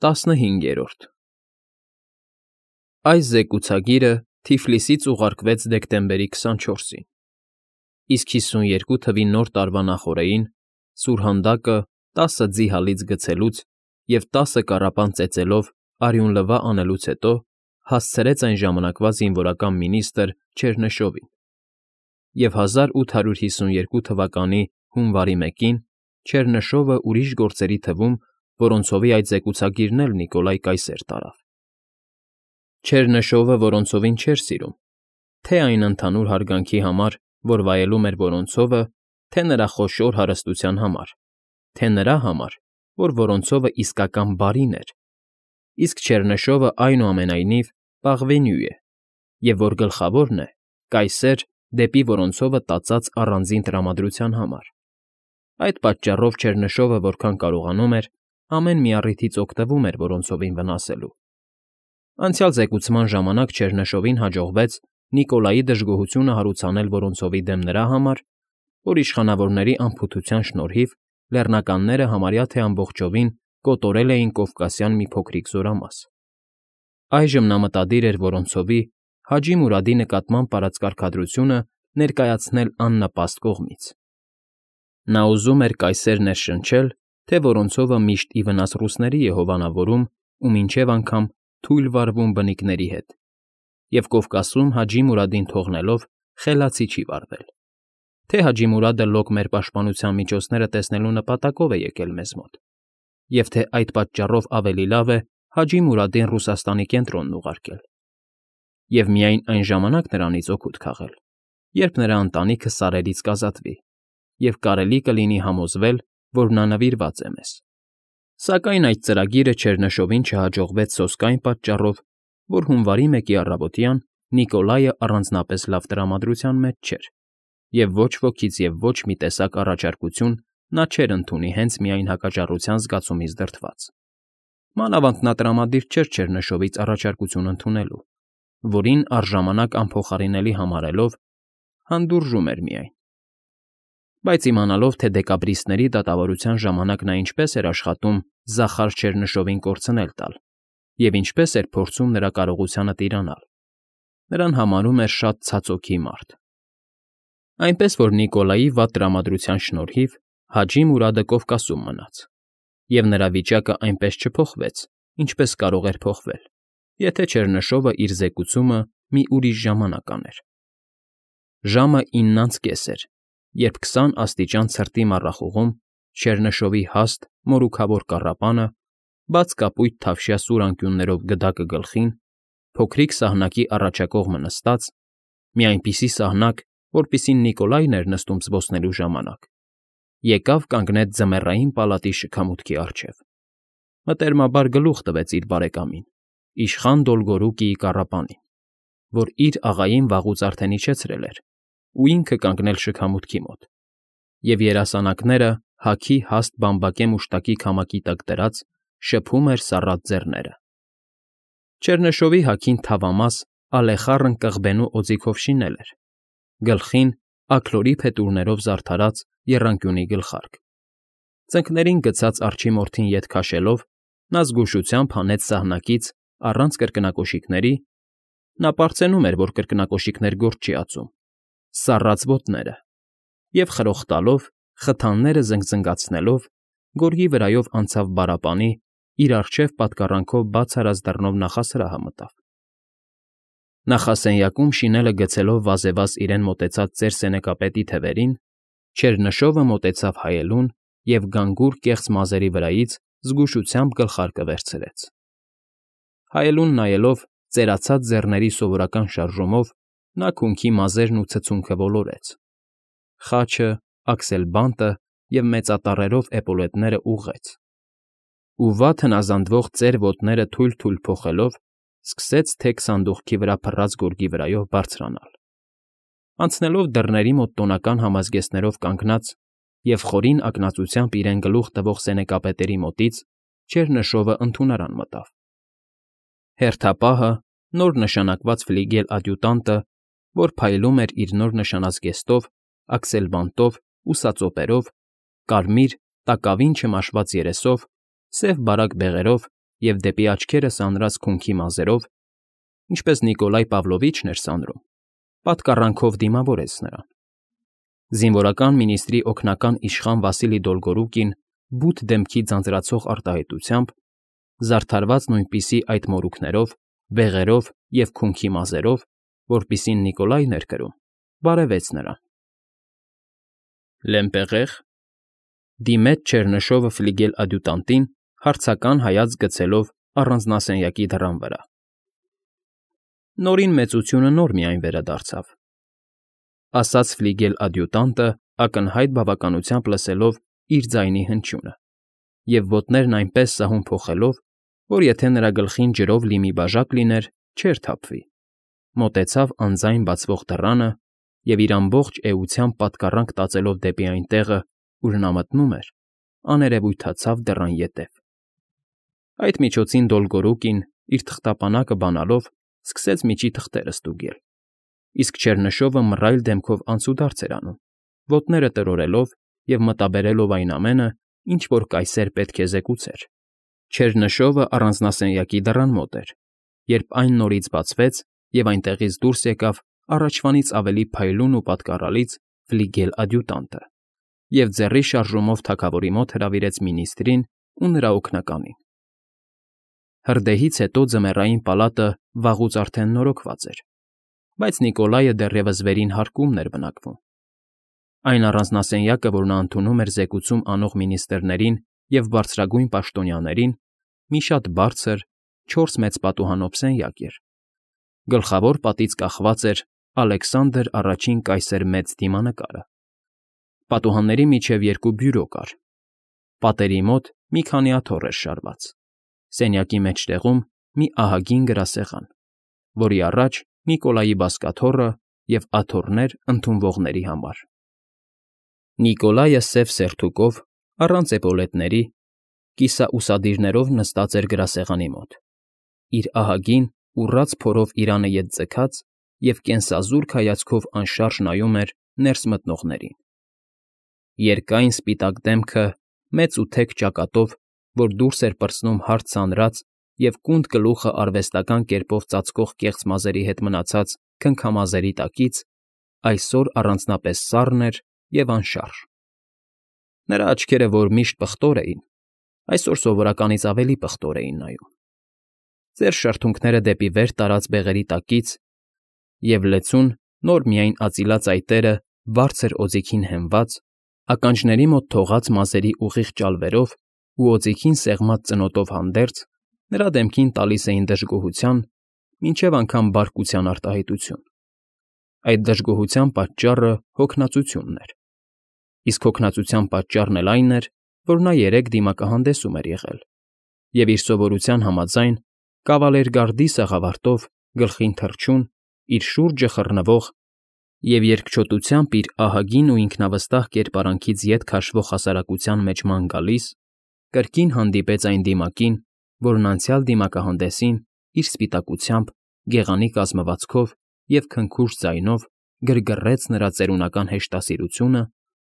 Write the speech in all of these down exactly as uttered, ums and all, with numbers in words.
Տասնհինգերորդ Այս զեկուցագիրը Թիֆլիսից ուղարկվեց դեկտեմբերի քսանչորսին, իսկ հիսունյոթ թվի Նոր տարվա նախօրեին սուրհանդակը տասը ձի հալից գցելուց և տասը կառապան ծեծելով արյունլվա անելուց հետո հասցրեց այն ժամանակվա զինվորական մինիստր Չեռնշովին, և հազար ութ հարյուր հիսունյոթ թվականի հունվարի մեկին Չեռնշովը ուրիշ գործերի թվում, որոնցովի այդ զեկուցագիրն էլ Նիկոլայ կայսեր տարավ։ Չեռնշովը Որոնցովին չէր սիրում, թե՛ այն ընդհանուր հարգանքի համար, որ վայելում էր Որոնցովը, թե՛ նրա խոշոր հարստության համար, թե՛ նրա համար, որ Որոնցովը իսկական բարին էր, իսկ Չեռնշովը, այնուամենայնիվ, պաղվենյու է, և, որ գլխավորն է, կայսեր դեպի Որոնցովը տածած առանձին տրամադրության համար։ Այդ պատճառով Չեռնշովը որքան կարողանում էր, ամեն մի առիթից օգտվում էր Որոնցովին վնասելու։ Անցյալ զեկուցման ժամանակ Չեռնշովին հաջողվեց Նիկոլայի դժգոհությունը հարուցանել Որոնցովի դեմ նրա համար, որ իշխանավորների անփութության շնորհիվ լեռնականները համարյա թե ամբողջովին կոտորել էին Կովկասյան մի փոքրիկ զորամաս։ Այժմ նա մտադիր էր Որոնցովի՝ Հաջի Մուրադի նկատմամբ արած կարգադրությունը ներկայացնել աննպաստ կողմից։ Նա ուզում էր կայսեր ներշնչել, թե Որոնցովը միշտ ի վնաս ռուսների է հովանավորում ու մինչև անգամ թույլ վարվում բնիկների հետ, և Կովկասում Հաջի Մուրադին թողնելով խելացի չի վարվել, թե Հաջի Մուրադը լոկ մեր պաշտպանության միջոցները տեսնելու նպատակով է եկել մեզ մոտ, և թե այդ պատճառով ավելի լավ է Հաջի Մուրադին Ռուսաստանի կենտրոնն ուղարկել, և միայն այն ժամանակ նրանից օգուտ քաղել, երբ նրա ընտանիքը սարերից կազատվի, և կարելի կլինի համոզվել, որ նա նվիրված է մեզ։ Սակայն այդ ծրագիրը Չեռնշովին չհաջողվեց սոսկ այն պատճառով, որ հունվարի մեկի առավոտյան Նիկոլայը առանձնապես լավ տրամադրության մեջ չէր, և ոչ ոքից և ոչ մի տեսակ առաջարկություն նա չէր ընդունի հենց միայն հակաճառության զգացումից դրդված։ Մանավանդ նա տրամադիր չէր Չեռնշովից առաջարկություն ընդունելու, որին առժամանակ անփոխարինելի համարելով, հանդուրժում էր միայն։ Բայց իմանալով, թե դեկաբրիստների դատավորության ժամանակ նա ինչպես էր աշխատում Զախար Չեռնշովին կորցնել տալ և ինչպես էր փորձում նրա կարողությանը տիրանալ, նրան համարում էր շատ ցածօքի մարդ։ Այնպես որ Նիկոլայի վատ տրամադրության շնորհիվ Հաջի Մուրադը Կովկասում մնաց, և նրա վիճակը այնպես չփոխվեց, ինչպես կարող էր փոխվել, եթե Չեռնշովը իր զեկուցումը մի ուրիշ ժամանակ աներ։ Ժամը ինն անց կես էր, երբ քսան աստիճան ցրտի մառախուղում Չեռնշովի հաստ, մորուքավոր կառապանը, բաց կապույտ թավշյա սուր անկյուններով գդակը գլխին, փոքրիկ սահնակի առաջակողմը նստած, մի այնպիսի սահնակ, որպիսին Նիկոլայն էր նստում զբոսնելու ժամանակ, եկավ կանգնեց ձմեռային պալատի շքամուտքի առջև, մտերմաբար գլուխ տվեց իր բարեկամին, իշխան Դոլգորուկիի կառապանին, որ իր աղային վաղուց արդեն իջեցրել էր ու ինքը կանգնել շքամուտքի մոտ, և երասանակները հագի հաստ բամբակե մուշտակի քամակի տակ դրած շփում էր սառած ձեռները։ Չեռնշովի հագին թավամաս, ալեխառն կղբենու օձիքով շինել էր, գլխին աքլորի փետուրներով զարդարած եռանկյունի գլխարկ։ Ծնկներին գցած արջի մորթին ետ քաշելով՝ նա զգուշությամբ հանեց սահնակից, առանց կրկնակոշիկների (նա պարծենում էր, որ կրկնակոշիկներ գործ չի ածում) սառած ոտները և խրոխտալով, խթանները զնգզնգացնելով, գորգի վրայով անցավ բարապանի, իր առջև պատկառանքով բաց արած դռնով նախասրահը մտավ։ Նախասենյակում շինելը գցելով վազեվազ իրեն մոտեցած ծեր սենեկապետի թևերին, Չեռնշովը մոտեցավ հայելուն և գանգուր կեղծ մազերի վրայից զգուշությամբ գլխարկը վերցրեց։ Հայելուն նայելով, ծերացած ձեռների սովորական շարժումով նա քունքի մազերն ու ցցունքը ոլորեց, խաչը, աքսելբանտը և մեծատառերով էպոլետները ուղղեց, ու վատ հնազանդվող ծեր ոտները թույլ֊թույլ փոխելով, սկսեց թեք սանդուղքի վրա փռած գորգի վրայով բարձրանալ։ Անցնելով դռների մոտ տոնական համազգեստներով կանգնած և խորին ակնածությամբ իրեն գլուխ տվող սենեկապետերի մոտից, Չեռնշովը ընդունարան մտավ։ Հերթապահը, նոր նշանակված ֆլիգել ադյուտանտը, որ փայլում էր իր նոր նշանած զգեստով, աքսելբանտով ու սածոպերով, կարմիր, տակավին չմաշված երեսով, սև բարակ բեղերով և դեպի աչքերը սանրած քունքի մազերով, ինչպես Նիկոլայ Պավլովիչն էր սանրում, պատկառանքով դիմավորեց նրան։ Զինվորական մինիստրի օգնական իշխան Վասիլի Դոլգորուկին բութ դեմքի ձանձրացող արտահայտությամբ, զարդարված նույնպիսի այդ մորուքներով, բեղերով և քունքի մազերով, որպիսին Նիկոլայն էր կրում, բարևեց նրան։ Լեմպեղե՞ղ,֊ դիմեց չեռնշովը ֆլիգել֊ադյուտանտին, հարցական հայացք գցելով առանձնասենյակի դռան վրա։ Նորին մեծությունը նոր միայն վերադարձավ,֊ ասաց ֆլիգել֊ադյուտանտը, ակնհայտ բավականությամբ լսելով իր ձայնի հնչյունը, և ոտներն այնպես սահուն փոխելով, որ եթե նրա գլխին ջրով լի մի բաժակ լիներ, չէր թափվի, մոտեցավ անձայն բացվող դռանը և իր ամբողջ էությամբ պատկառանք տածելով դեպի այն տեղը, ուր նա մտնում էր, աներևույթացավ դռան ետև։ Այդ միջոցին Դոլգորուկին, իր թղթապանակը բանալով, սկսեց միջի թղթերը ստուգել, իսկ չեռնշովը մռայլ դեմքով անցուդարձ էր անում, ոտները տրորելով և մտաբերելով այն ամենը, ինչ որ կայսեր պետք է զեկուցեր։ Չեռնշովը առանձնասենյակի դռան մոտ էր, երբ այն նորից բացվեց, և այնտեղից դուրս եկավ առաջվանից ավելի փայլուն ու պատկառալից ֆլիգել֊ադյուտանտը և ձեռի շարժումով թագավորի մոտ հրավիրեց մինիստրին ու նրա օգնականին։ Հրդեհից հետո ձմեռային պալատը վաղուց արդեն նորոգված էր, բայց Նիկոլայը դեռևս վերին հարկումն էր բնակվում։ Այն առանձնասենյակը, որ նա ընդունում էր զեկուցում անող մինիստրներին և բարձրագույն պաշտոնյաներին, մի շատ բարձր, չորս մեծ պատուհանով սենյակ էր։ Գլխավոր պատից կախված էր Ալեքսանդր առաջին կայսեր Մեծ դիմանկարը։ Պատուհանների միջև երկու բյուրո կար։ Պատերի մոտ մի քանի աթոռ էր շարված, սենյակի մեջտեղում մի ահագին գրասեղան, որի առաջ Նիկոլայի բազկաթոռը և աթոռներ ընդունվողների համար։ Նիկոլայը սև սերթուկով, առանց էպոլետների, կիսաուսադիրներով նստած էր գրասեղանի մոտ, իր ահագին, ուռած փորով իրանը ետ ձգած և կենսազուրկ հայացքով անշարժ նայում էր ներս մտնողներին։ Երկայն սպիտակ դեմքը մեծ ու թեք ճակատով, որ դուրս էր պրծնում հարթ սանրած և կունդ գլուխը արվեստական կերպով ծածկող կեղծ մազերի հետ մնացած քնքամազերի տակից, այսօր առանձնապես սառն էր և անշարժ։ Նրա աչքերը, որ միշտ պղտոր էին, այսօր սովորականից ավելի պղտոր էին նայում։ Ծեր շրթունքները դեպի վեր տարած բեղերի տակից, և լեցուն, նոր միայն ածիլած այտերը բարձր օձիքին հենված, ականջների մոտ թողած մազերի ուղիղ ճալվերով ու օձիքին սեղմած ծնոտով հանդերձ, նրա դեմքին տալիս էին դժգոհության, մինչև անգամ բարկության արտահայտություն։ Այդ դժգոհության պատճառը հոգնածությունն էր, իսկ հոգնածության պատճառն էլ այն էր, որ նա երեկ դիմակահանդեսում էր եղել և, իր սովորության համաձայն, կավալերգարդի սաղավարտով, գլխին թռչուն, իր շուրջը խռնվող և երկչոտությամբ իր ահագին ու ինքնավստահ կերպարանքից ետ քաշվող հասարակության մեջ ման գալիս, կրկին հանդիպեց այն դիմակին, որն անցյալ դիմակահանդեսին իր սպիտակությամբ, գեղանի կազմվածքով և քնքուշ ձայնով գրգռեց նրա ծերունական հեշտասիրությունը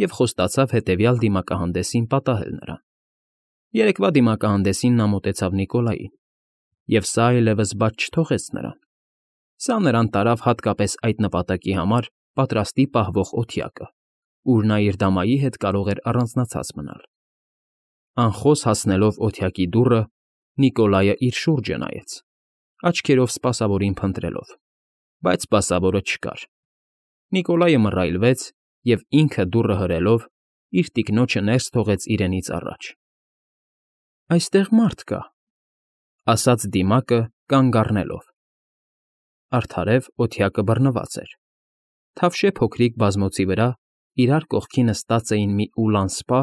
և խոստացավ հետևյալ դիմակահանդեսին պատահել նրան։ Երեկվա դիմակահանդեսին նա մոտեցավ Նիկոլային, և սա այլևս բաց չթողեց նրան։ Սա նրան տարավ հատկապես այդ նպատակի համար պատրաստի պահվող օթյակը, ուր նա իր դամայի հետ կարող էր առանձնացած մնալ։ Անխոս հասնելով օթյակի դուռը, Նիկոլայը իր շուրջը նայեց, աչքերով սպասավորին փնտրելով, բայց սպասավորը չկար։ Նիկոլայը մռայլվեց և, ինքը դուռը հրելով, իր տիկնոջը ներս թողեց իրենից առաջ։ ֊ Այստեղ մարդ կա,֊ ասաց դիմակը, կանգ առնելով։ Արդարև օթյակը բռնված էր։ Թավշե փոքրիկ բազմոցի վրա իրար կողքի նստած էին մի ուլան սպա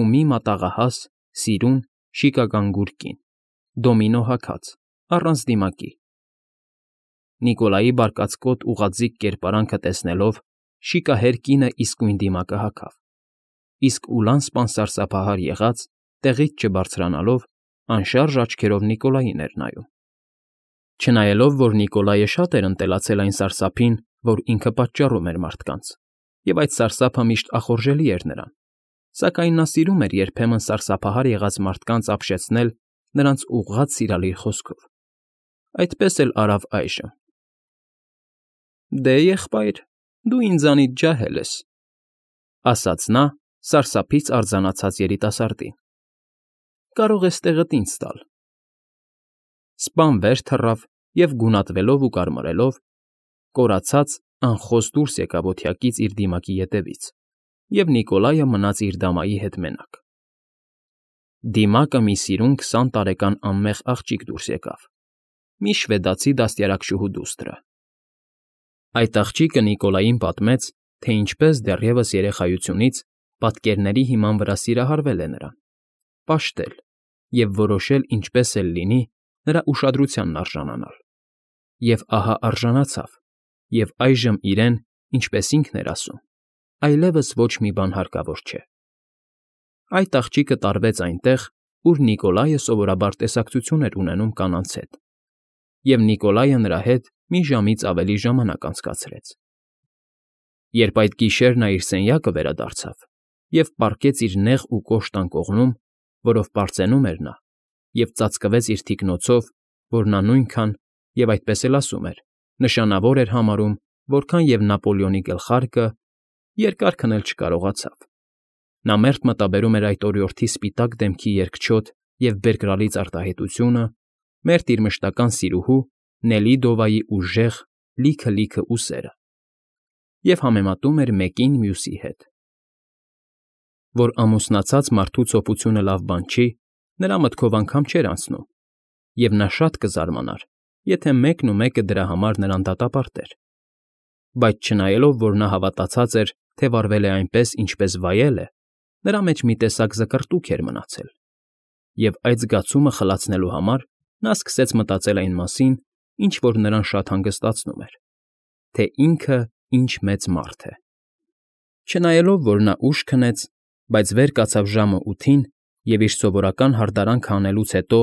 ու մի մատաղահաս, սիրուն, շիկագանգուր կին, դոմինո հագած, առանց դիմակի։ Նիկոլայի բարկացկոտ ուղղաձիգ կերպարանքը տեսնելով, շիկահեր կինը իսկույն դիմակը հագավ, իսկ ուլան սպան սարսափահար եղած, տեղից չբարձրանալով, անշարժ աչքերով Նիկոլային էր նայում։ Չնայելով, որ Նիկոլայը շատ էր ընտելացել այն սարսափին, որ ինքը պատճառում էր մարդկանց, և այդ սարսափը միշտ ախորժելի էր նրան, սակայն նա սիրում էր երբեմն սարսափահար եղած մարդկանց ապշեցնել նրանց ուղղած սիրալիր խոսքով, այդպես էլ արավ այժմ։ ֊ Դե, եղբայր, դու ինձանից ջահել ես,֊ ասաց նա սարսափից արձանացած երիտասարդին,֊ կարող ես տեղդ ինձ տալ։ Սպան վեր թռավ և, գունատվելով ու կարմրելով, կորացած անխոս դուրս եկավ օթյակից իր դիմակի ետևից, և Նիկոլայը մնաց իր դամայի հետ մենակ։ Դիմակը մի սիրուն քսան տարեկան անմեղ աղջիկ դուրս եկավ, մի շվեդացի դաստիարակչուհու դուստրը։ Այդ աղջիկը Նիկոլային պատմեց, թե ինչպես դեռևս երեխայությունից պատկերների հիման վրա սիրահարվել է նրան, պաշտել և որոշել ինչպես էլ լինի նրա ուշադրությանն արժանանալ։ Եվ ահա արժանացավ, և այժմ իրեն, ինչպես ինքն էր ասում, այլևս ոչ մի բան հարկավոր չէ։ Այդ աղջիկը տարվեց այնտեղ, ուր Նիկոլայը սովորաբար տեսակցություն էր ունենում կանանց հետ, և Նիկոլայը նրա հետ մի ժամից ավելի ժամանակ անցկացրեց։ Երբ այդ գիշեր նա իր սենյակը վերադարձավ և պառկեց իր նեղ ու կոշտ անկողնում, որով պարծենում էր նա, և ծածկվեց իր թիկնոցով, որ նա նույնքան, և այդպես էլ ասում էր, նշանավոր էր համարում, որքան և Նապոլեոնի գլխարկը, երկար քնել չկարողացավ։ Նա մերթ մտաբերում էր այդ օրիորդի սպիտակ դեմքի երկչոտ և բերկրալից արտահայտությունը, մերթ իր մշտական սիրուհու Նելիդովայի ուժեղ, լիքը֊լիքը ուսերը և համեմատում էր մեկին մյուսի հետ։ Որ ամուսնացած մարդու ցոփությունը լավ բան չի, նրա մտքով անգամ չէր անցնում, և նա շատ կզարմանար, եթե մեկն ու մեկը դրա համար նրան դատապարտեր։ Բայց չնայելով, որ նա հավատացած էր, թե վարվել է այնպես, ինչպես վայել է, նրա մեջ մի տեսակ զկրտուք էր մնացել, և այդ զգացումը խլացնելու համար նա սկսեց մտածել այն մասին, ինչ որ նրան շատ հանգստացնում էր, թե ինքը ինչ մեծ մարդ է։ Չնայելով, որ նա ուշ քնեց, բայց վեր կացավ ժամը ութին և իր սովորական հարդարանքը անելուց հետո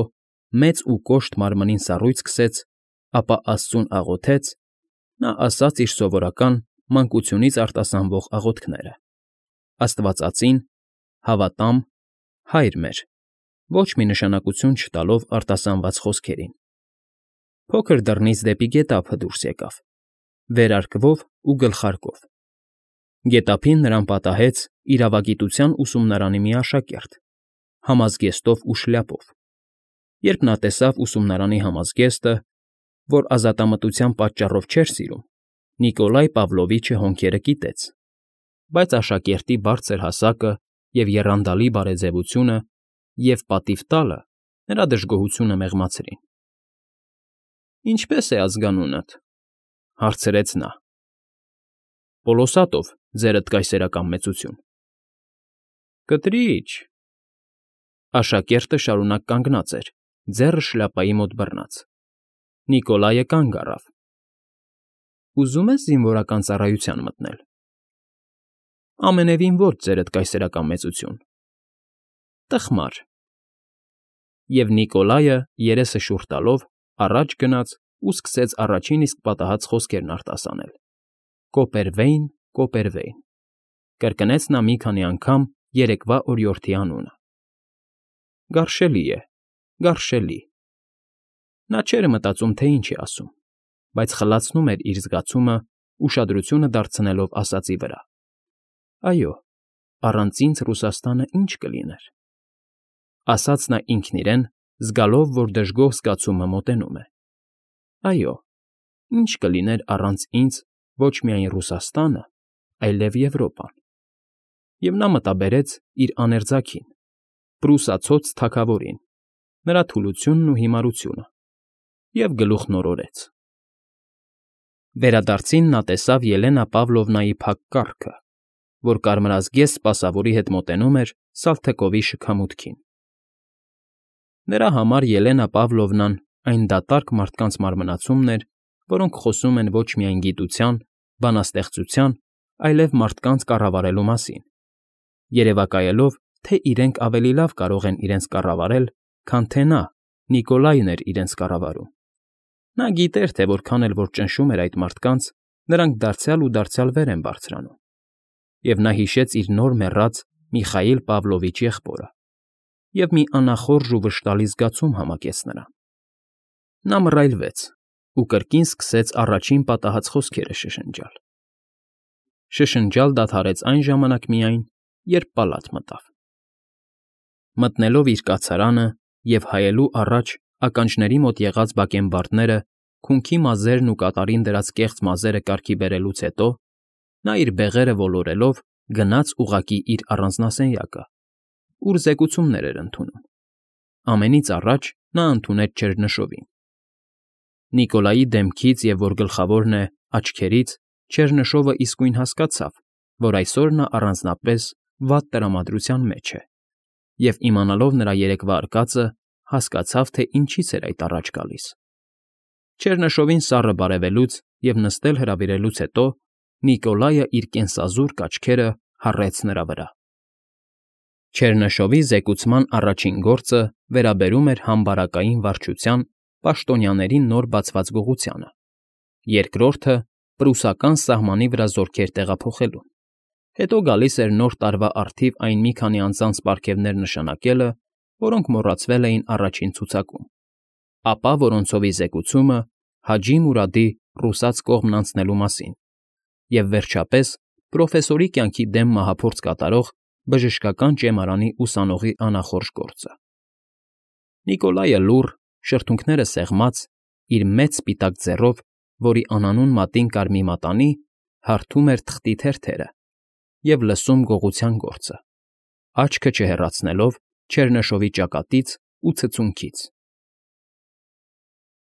մեծ ու կոշտ մարմնին սառույց քսեց, ապա աստծուն աղոթեց, նա ասաց իր սովորական, մանկությունից արտասանվող աղոթքները. Աստվածածին, հավատամ, Հայր մեր, ոչ մի նշանակություն չտալով արտասանված խոսքերին։ Փոքր դռնից դեպի գետափը դուրս եկավ, վերարկվով ու գլխարկով։ Գետափին նրան պատահեց իրավագիտության ուսումնարանի մի աշակերտ, համազգեստով ու շլյապով։ Երբ նա տեսավ ուսումնարանի համազգեստը, որ ազատամտության պատճառով չէր սիրում, Նիկոլայ Պավլովիչը հոնքերը կիտեց, բայց աշակերտի բարձր հասակը և եռանդալի բարեձևությունը և պատիվ տալը նրա դժգոհությունը մեղմացրին։ ֊ Ինչպե՞ս է ազգանունդ,֊ հարցրեց նա։ ֊ Պոլոսատով, ձերդ կայսերական մեծություն։ ֊ Կտրի՛չ,֊ աշակերտը շարունակ կանգնած էր, ձեռը շլյապայի մոտ բռնած։ Նիկոլայը կանգ առավ։ ֊ Ուզում ես զինվորական ծառայության մտնել։ ֊ Ամենևին ոչ, ձերդ կայսերական մեծություն։ ֊ Տխմար։ Եվ Նիկոլայը, երեսը շուռ տալով, առաջ գնաց ու սկսեց առաջին իսկ պատահած խոսքերն արտասանել. «Կոպերվեյն, Կոպերվեյն», կրկնեց նա մի քանի անգամ երեկվա օրիորդի անունը։ Գարշելի է, գարշելի։ Նա չէր մտածում, թե ինչ է ասում, բայց խլացնում էր իր զգացումը, ուշադրությունը դարձնելով ասածի վրա. «Այո, առանց ինձ Ռուսաստանը ի՞նչ կլիներ», ասաց նա ինքն իրեն, զգալով, որ դժգոհ զգացումը մոտենում է։ «Այո, ի՞նչ կլիներ առանց ինձ ոչ միայն Ռուսաստանը, այլև Եվրոպան»։ Եվ նա մտաբերեց իր աներձակին, պրուսացոց թագավորին, նրա թուլությունն ու հիմարությունը, և գլուխն օրորեց։ Վերադարձին նա տեսավ Ելենա Պավլովնայի փակ կառքը, որ կարմրազգեստ սպասավորի հետ մոտենում էր Սալթկովի շքամուտքին։ Նրա համար Ելենա Պավլովնան այն դատարկ մարդկանց մարմնացումն էր, որոնք խոսում են ոչ միայն գիտության, բանաստեղծության, այլև մարդկանց կառավարելու մասին, երևակայելով, թե իրենք ավելի լավ կարող են իրենց կառավարել, քան թե նա՝ Նիկոլայն էր իրենց կառավարում։ Նա գիտեր, թե որքան էլ որ ճնշում էր այդ մարդկանց, նրանք դարձյալ ու դարձյալ վեր են բարձրանում, և նա հիշեց իր նոր մեռած Միխայիլ Պավլովիչ եղբորը, և մի անախորժ ու վշտալի զգացում համակեց նրան։ Նա մռայլվեց ու կրկին սկսեց առաջին պատահած խոսքերը շշնջալ։ Շշնջալ դադարեց այն ժամանակ միայն, երբ պալատ մտավ։ Մտնելով իր կացարանը և հայելու առաջ ականջների մոտ եղած բակենբարդները, քունքի մազերն ու կատարին դրած կեղծ մազերը կարգի բերելուց հետո, նա իր բեղերը ոլորելով գնաց ուղղակի իր առանձնասենյակը, ուր զեկուցումներ էր ընդունում։ Ամենից առաջ նա ընդունեց Չեռնշովին։ Նիկոլայի դեմքից և, որ գլխավորն է, աչքերից Չեռնշովը իսկույն հասկացավ, որ այսօր նա առանձնապես վատ տրամադրության մեջ է, և, իմանալով նրա երեկվա արկածը, հասկացավ, թե ինչից էր այդ առաջ գալիս։ Չեռնշովին սառը բարևելուց և նստել հրավիրելուց հետո Նիկոլայը իր կենսազուրկ աչքերը հառեց նրա վրա։ Չեռնշովի զեկուցման առաջին գործը վերաբերում էր համբարակային վարչության պաշտոնյաների նոր բացված գողությանը, երկրորդը՝ պրուսական սահմանի վրա զորքեր տեղափոխելուն, հետո գալիս էր Նոր տարվա առթիվ այն մի քանի անձանց պարգևներ նշանակելը, որոնք մոռացվել էին առաջին ցուցակում, ապա որոնցովի զեկուցումը Հաջի Մուրադի ռուսաց կողմն անցնելու մասին և, վերջապես, պրոֆեսորի կյանքի դեմ մահափորձ կատարող բժշկական ճեմարանի ուսանողի անախորժ գործը։ Նիկոլայը լուռ, շրթունքները սեղմած, իր մեծ սպիտակ ձեռով, որի անանուն մատին կար մի մատանի, հարթում էր թղթի թերթերը և լսում գողության գործը, աչքը չհեռացնելով Չեռնշովի ճակատից ու ցցունքից։